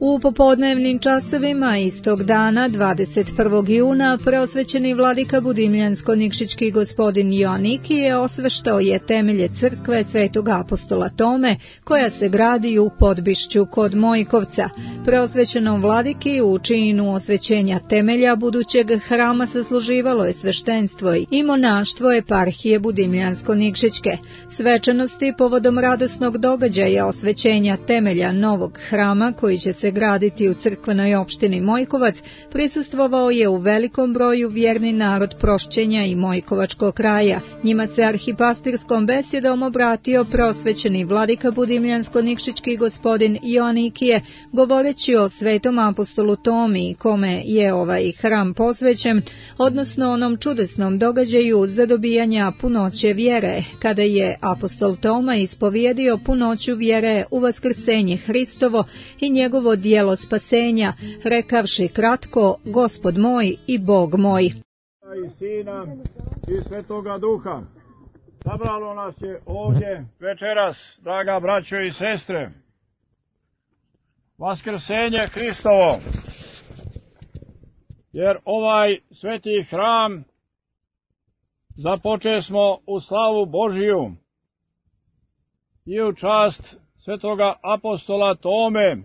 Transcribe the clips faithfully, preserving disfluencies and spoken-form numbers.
U popodnevnim časovima istog dana, dvadeset prvog juna, preosvećeni vladika Budimljansko-Nikšićki gospodin Joanikije osveštao je temelje crkve Svetog apostola Tome, koja se gradi u Podbišću kod Mojkovca. Preosvećenom vladiki u činu osvećenja temelja budućeg hrama sasluživalo je sveštenstvo i monaštvo eparhije Budimljansko-Nikšićke. Svečanosti povodom radosnog događaja osvećenja temelja novog hrama, koji će se graditi u crkvenoj opštini Mojkovac, prisustvovao je u velikom broju vjerni narod Prošćenja i Mojkovačkog kraja. Njima se arhipastirskom besjedom obratio preosvećeni vladika Budimljansko-Nikšićki gospodin Joanikije, govoreći o svetom apostolu Tomi, kome je ovaj hram posvećen, odnosno onom čudesnom događaju zadobijanja punoće vjere, kada je apostol Toma ispovjedio punoću vjere u vaskrsenje Hristovo i njegovo dijelo spasenja, rekavši kratko: Gospod moj i Bog moj. I Sina i Svetoga Duha. Sabralo nas je ovdje večeras, draga braćo i sestre, vaskrsenje Hristovo, jer ovaj sveti hram započeli smo u slavu Božiju i u čast svetoga apostola Tome.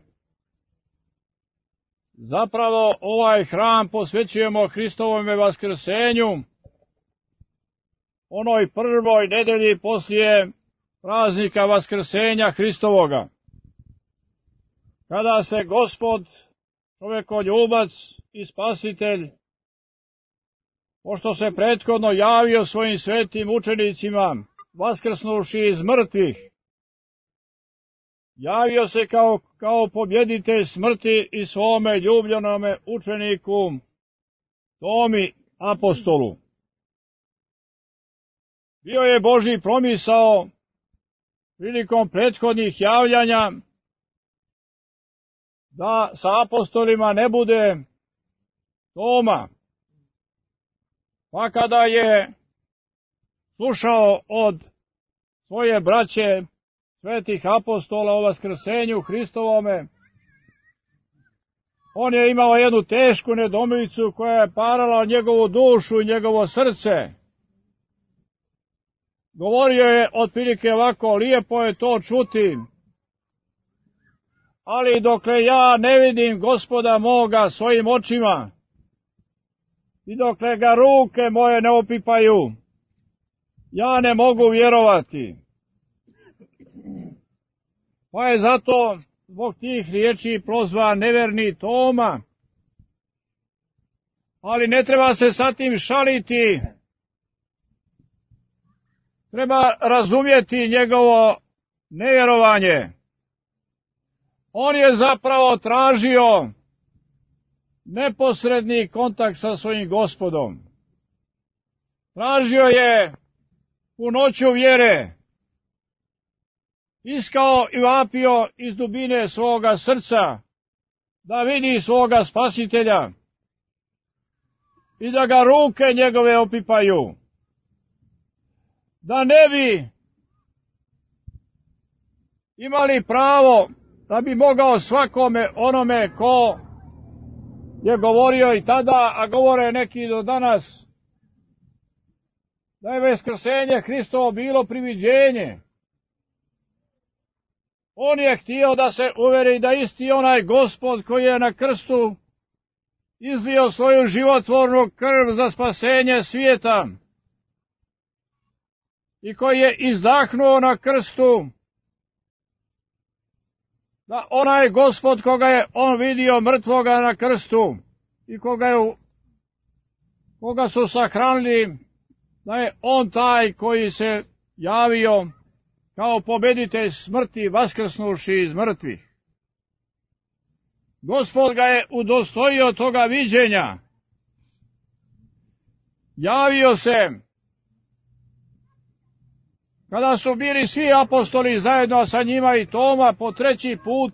Zapravo ovaj hram posvećujemo Hristovome vaskrsenju, onoj prvoj nedelji poslije praznika vaskrsenja Hristovoga, kada se Gospod, čovekoljubac i spasitelj, pošto se prethodno javio svojim svetim učenicima, vaskrsnuši iz mrtvih, javio se kao, kao pobjeditelj smrti i svome ljubljenome učeniku Tomi apostolu. Bio je Božji promisao prilikom prethodnih javljanja da sa apostolima ne bude Toma, pa kada je slušao od svoje braće svetih apostola o vaskrsenju Hristovome, on je imao jednu tešku nedoumicu koja je parala njegovu dušu i njegovo srce. Govorio je otprilike ovako: lijepo je to čuti, ali dokle ja ne vidim Gospoda moga svojim očima i dokle ga ruke moje ne opipaju, ja ne mogu vjerovati. Pa je zato zbog tih riječi prozvan neverni Toma. Ali ne treba se sa tim šaliti. Treba razumjeti njegovo nevjerovanje. On je zapravo tražio neposredni kontakt sa svojim Gospodom. Tražio je punoću vjere. Iskao i vapio iz dubine svoga srca da vidi svoga spasitelja i da ga ruke njegove opipaju, da ne bi imali pravo da bi mogao svakome onome ko je govorio i tada, a govore neki do danas, da je vaskrsenje Hristovo bilo priviđenje. On je htio da se uveri da isti onaj Gospod koji je na krstu izlio svoju životvornu krv za spasenje svijeta i koji je izdahnuo na krstu, da onaj Gospod koga je on vidio mrtvoga na krstu i koga, je, koga su sahranili, da je on taj koji se javio kao pobjeditelj smrti, vaskrsnuši iz mrtvih. Gospod ga je udostojio toga viđenja. Javio se kada su bili svi apostoli zajedno sa njima i Toma po treći put,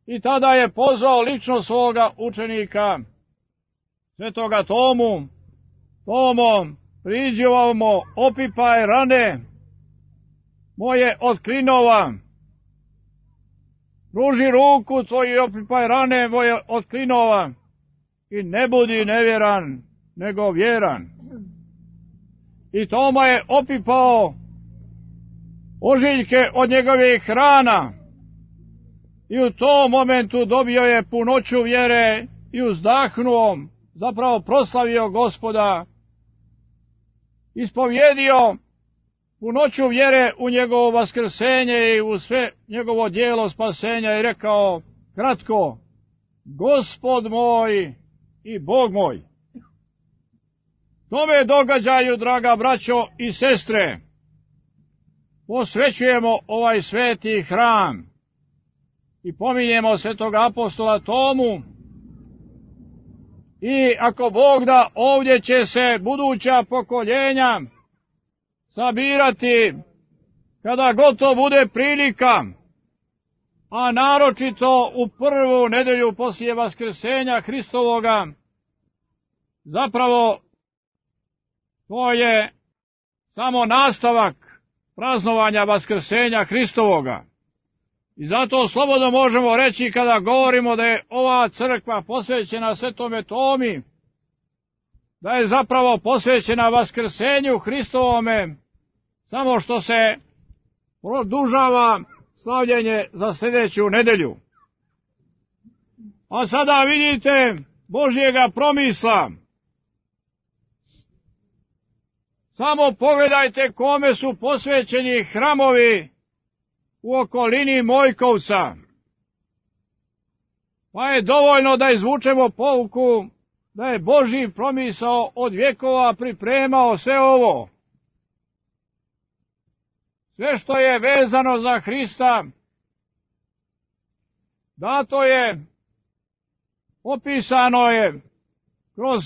i tada je pozvao lično svoga učenika, svetoga Tomu: Tomo, priđi ovamo, opipaj rane moje od klinova Pruži ruku tvoju i opipaj rane moje od klinova i ne budi nevjeran, nego vjeran. I Toma je opipao ožiljke od njegovih rana i u tom momentu dobio je punoću vjere i uzdahnuo, zapravo proslavio Gospoda, ispovjedio punoću vjere u njegovo vaskrsenje i u sve njegovo djelo spasenja i rekao kratko: Gospod moj i Bog moj. Tome događaju, draga braćo i sestre, posvećujemo ovaj sveti hram i pominjemo svetog apostola Tomu. I ako Bog da, ovdje će se buduća pokoljenja sabirati kada god to bude prilika, a naročito u prvu nedelju poslije vaskrsenja Hristovoga. Zapravo to je samo nastavak praznovanja vaskrsenja Hristovoga. I zato slobodno možemo reći, kada govorimo da je ova crkva posvećena Svetome Tomi, da je zapravo posvećena vaskrsenju Hristovome, samo što se produžava slavljenje za sljedeću nedelju. A sada vidite Božjega promisla. Samo pogledajte kome su posvećeni hramovi u okolini Mojkovca. Pa je dovoljno da izvučemo pouku da je Božji promisao od vjekova pripremao sve ovo. Sve što je vezano za Hrista, dato je, opisano je kroz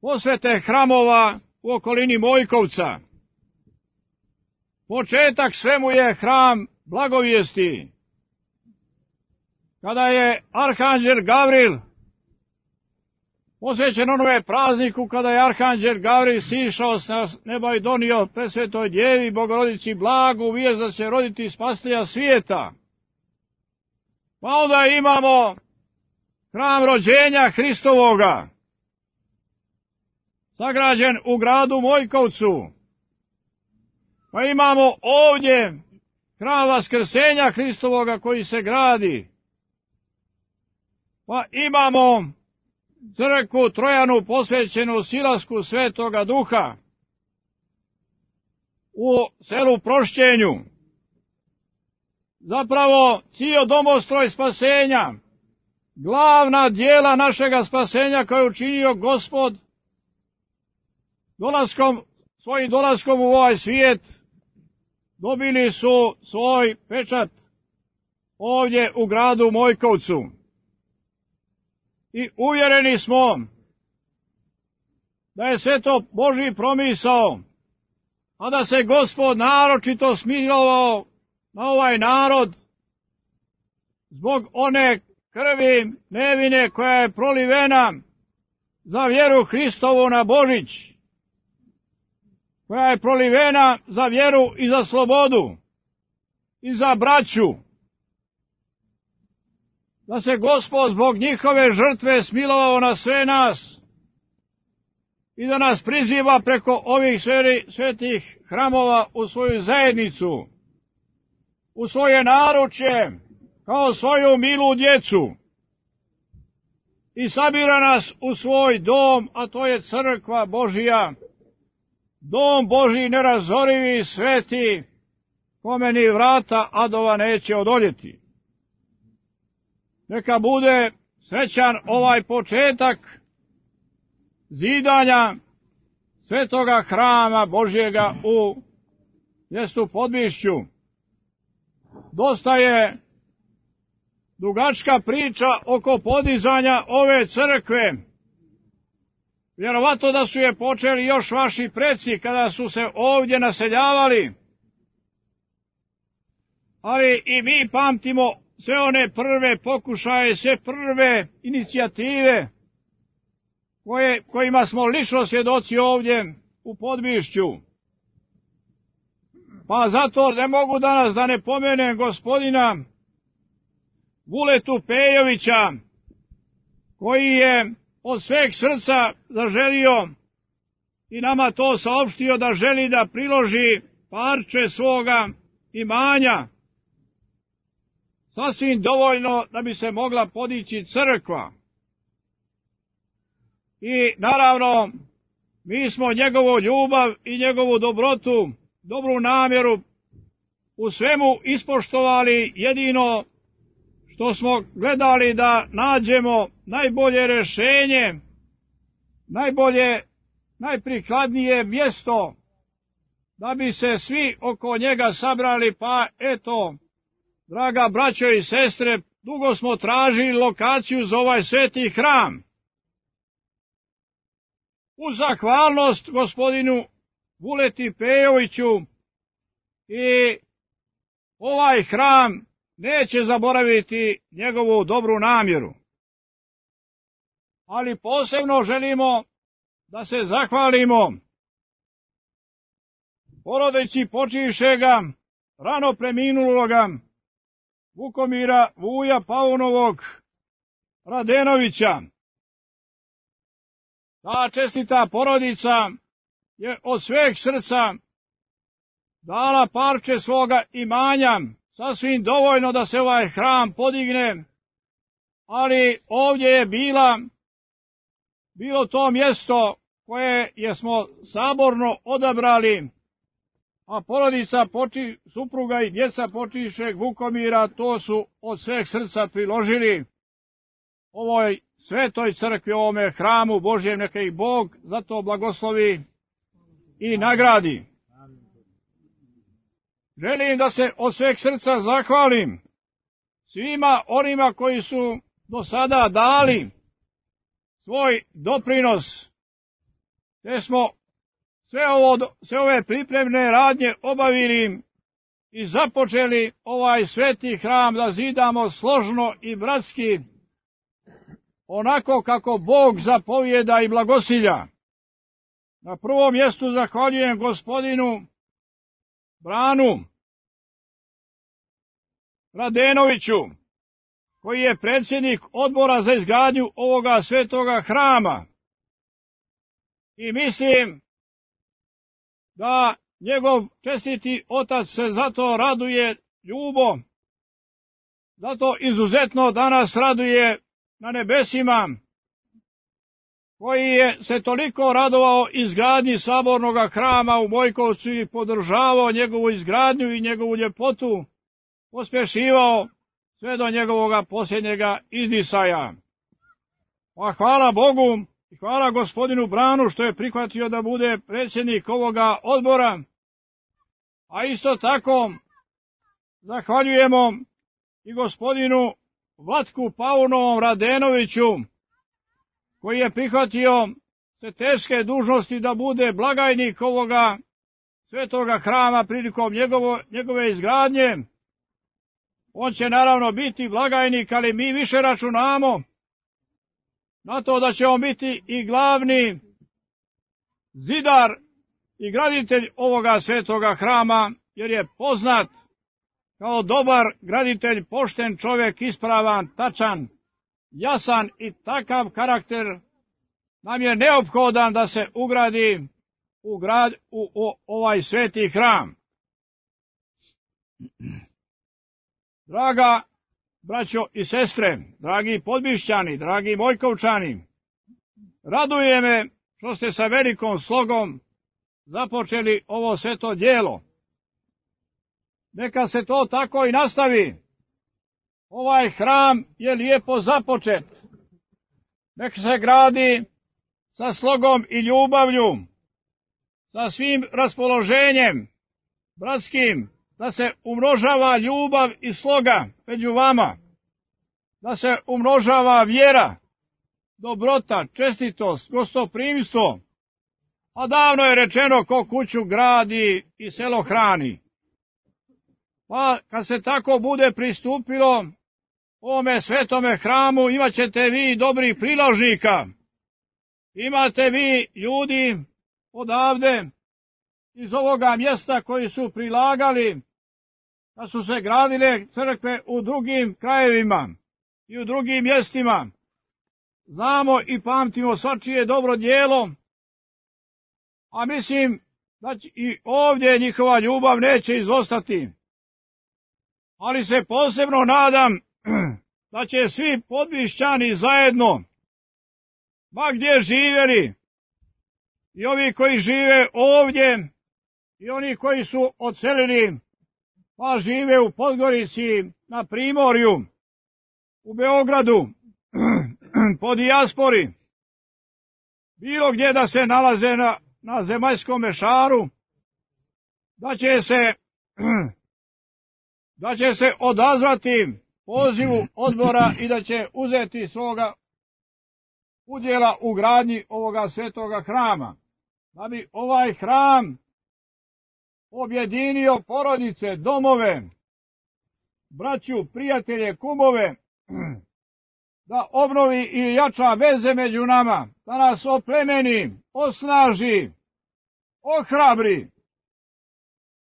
posvete hramova u okolini Mojkovca. Početak svemu je hram blagovijesti. Kada je arhanđel Gavril, posvećen onome prazniku kada je arhanđel Gavril sišao s neba i donio presvetoj djevi Bogorodici blagu vijest da će roditi spasitelja svijeta. Pa onda imamo hram rođenja Hristovoga, sagrađen u gradu Mojkovcu. Pa imamo ovdje hram vaskrsenja Hristovoga koji se gradi. Pa imamo crkvu Trojanu posvećenu silasku Svetoga Duha u selu Prošćenju. Zapravo cijel domostroj spasenja, glavna dijela našega spasenja koje je učinio Gospod dolaskom, svojim dolaskom u ovaj svijet, dobili su svoj pečat ovdje u gradu Mojkovcu. I uvjereni smo da je sve to Božji promisao, a da se Gospod naročito smilovao na ovaj narod zbog one krvi nevine koja je prolivena za vjeru Hristovu na Božić, koja je prolivena za vjeru i za slobodu i za braću. Da se Gospod zbog njihove žrtve smilovao na sve nas i da nas priziva preko ovih svetih hramova u svoju zajednicu, u svoje naručje, kao svoju milu djecu, i sabira nas u svoj dom, a to je crkva Božija, dom Božji nerazorivi i sveti, kome ni vrata adova neće odoljeti. Neka bude srećan ovaj početak zidanja svetoga hrama Božjega u mjestu Podbišću. Dosta je dugačka priča oko podizanja ove crkve. Vjerovatno da su je počeli još vaši preci kada su se ovdje naseljavali. Ali i mi pamtimo sve one prve pokušaje, sve prve inicijative koje, kojima smo lično svjedoci ovdje u Podbišću. Pa zato ne mogu danas da ne pomenem gospodina Vuletu Pejovića, koji je od sveg srca zaželio i nama to saopštio da želi da priloži parče svoga imanja, sasvim dovoljno da bi se mogla podići crkva. I naravno, mi smo njegovu ljubav i njegovu dobrotu, dobru namjeru u svemu ispoštovali, jedino što smo gledali da nađemo najbolje rješenje, najbolje, najprikladnije mjesto da bi se svi oko njega sabrali, pa eto, draga braćo i sestre, dugo smo tražili lokaciju za ovaj sveti hram. U zahvalnost gospodinu Vuleti Pejoviću i ovaj hram neće zaboraviti njegovu dobru namjeru. Ali posebno želimo da se zahvalimo porodici počivšega, rano preminuloga Vukomira Vuja Paunovog Radenovića. Ta čestita porodica je od sveg srca dala parče svoga imanja, sasvim dovoljno da se ovaj hram podigne, ali ovdje je bila, bilo to mjesto koje je smo saborno odabrali, a porodica poči, supruga i djeca počivšeg Vukomira to su od sveg srca priložili ovoj svetoj crkvi, ovome hramu Božjem, neka ih Bog zato blagoslovi i nagradi. Želim da se od sveg srca zahvalim svima onima koji su do sada dali svoj doprinos, te smo sve, ovo, sve ove pripremne radnje obavili i započeli ovaj sveti hram da zidamo složno i bratski, onako kako Bog zapovijeda i blagosilja. Na prvom mjestu zahvaljujem gospodinu Branu Radenoviću, koji je predsjednik odbora za izgradnju ovoga svetoga hrama. I mislim da njegov čestiti otac se zato raduje, Ljubo, zato izuzetno danas raduje na nebesima, koji je se toliko radovao izgradnji sabornog hrama u Bojkovcu i podržavao njegovu izgradnju i njegovu ljepotu, pospješivao sve do njegovog posljednjega izdisaja. Pa hvala Bogu i hvala gospodinu Branu što je prihvatio da bude predsjednik ovoga odbora, a isto tako zahvaljujemo i gospodinu Vlatku Paunovom Radenoviću, koji je prihvatio se teške dužnosti da bude blagajnik ovoga svetoga hrama prilikom njegovo, njegove izgradnje. On će naravno biti blagajnik, ali mi više računamo na to da će on biti i glavni zidar i graditelj ovoga svetoga hrama, jer je poznat kao dobar graditelj, pošten čovjek, ispravan, tačan, jasan i takav karakter nam je neophodan da se ugradi u, grad, u, u ovaj sveti hram. Draga braćo i sestre, dragi Podbišćani, dragi Bojkovčani, raduje me što ste sa velikom slogom započeli ovo sveto djelo. Neka se to tako i nastavi. Ovaj hram je lijepo započet. Neka se gradi sa slogom i ljubavlju, sa svim raspoloženjem bratskim, da se umnožava ljubav i sloga među vama, da se umnožava vjera, dobrota, čestitost, gostoprimstvo, a davno je rečeno ko kuću gradi i selo hrani. Pa kad se tako bude pristupilo ovome svetome hramu, imat ćete vi dobrih priložnika, imate vi ljudi odavde iz ovoga mjesta koji su prilagali da su se gradile crkve u drugim krajevima. i u drugim mjestima. Znamo i pamtimo svačije dobro djelo, a mislim da će i ovdje njihova ljubav neće izostati. Ali se posebno nadam da će svi podbišćani zajedno, ma gdje živjeli, i ovi koji žive ovdje, i oni koji su odselili, pa žive u Podgorici, na Primorju, u Beogradu, po dijaspori, bilo gdje da se nalaze na, na zemaljskom šaru, da će se, da će se odazvati pozivu odbora i da će uzeti svoga udjela u gradnji ovoga svetoga hrama, da bi ovaj hram objedinio porodice, domove, braću, prijatelje, kumove, da obnovi i jača veze među nama, da nas oplemeni, osnaži, ohrabri.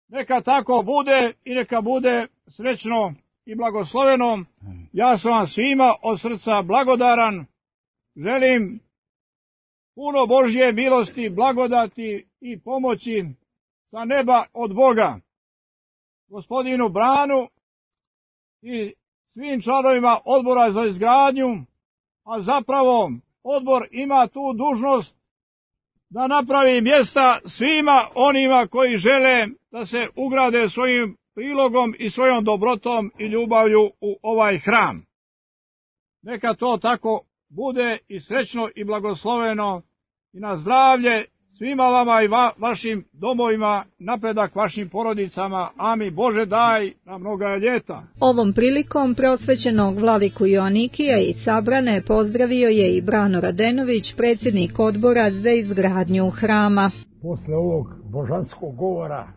Neka tako bude i neka bude srećno i blagosloveno. Ja sam vam svima od srca blagodaran. Želim puno Božje milosti, blagodati i pomoći sa neba od Boga, gospodinu Branu i svim članovima odbora za izgradnju, a zapravo odbor ima tu dužnost da napravi mjesta svima onima koji žele da se ugrade svojim prilogom i svojom dobrotom i ljubavlju u ovaj hram. Neka to tako bude i srećno i blagosloveno i na zdravlje svima vama i va, vašim domovima, napredak vašim porodicama. Amin. Bože daj na mnoga ljeta. Ovom prilikom prosvećenog vladiku Joanikija i sabrane pozdravio je i Brano Radenović, predsjednik odbora za izgradnju hrama. Posle ovog božanskog govora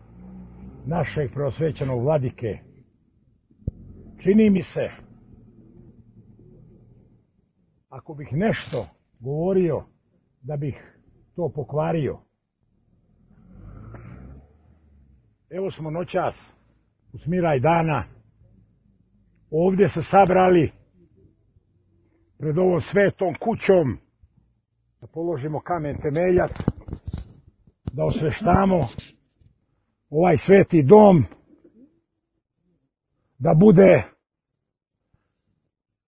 našeg prosvećenog vladike, čini mi se, ako bih nešto govorio, da bih to pokvario. Evo smo noćas, u smiraj dana, ovdje se sabrali pred ovom svetom kućom, da položimo kamen temeljac, da osveštamo ovaj sveti dom, da bude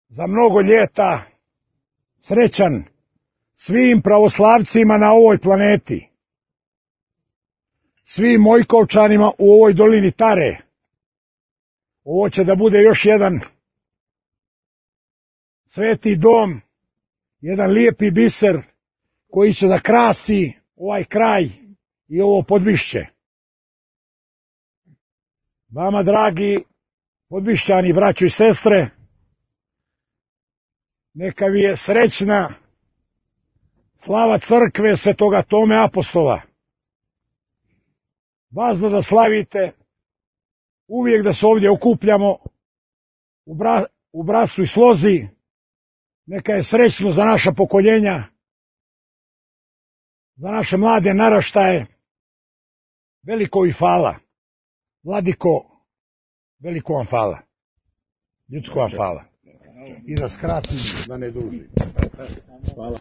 za mnogo ljeta srećan svim pravoslavcima na ovoj planeti, svim Mojkovčanima u ovoj dolini Tare. Ovo će da bude još jedan sveti dom, jedan lijepi biser koji će da krasi ovaj kraj i ovo Podbišće. Vama, dragi Podbišćani, braćo i sestre, neka vi je srećna slava crkve svetoga Tome Apostola. Važno da slavite, uvijek da se ovdje okupljamo u, bra, u bratstvu i slozi. Neka je srećno za naša pokoljenja, za naše mlade naraštaje. Veliko i hvala. Vladiko, veliko vam hvala. Ljudsko vam hvala. I da skratim, da ne dužim. Hvala.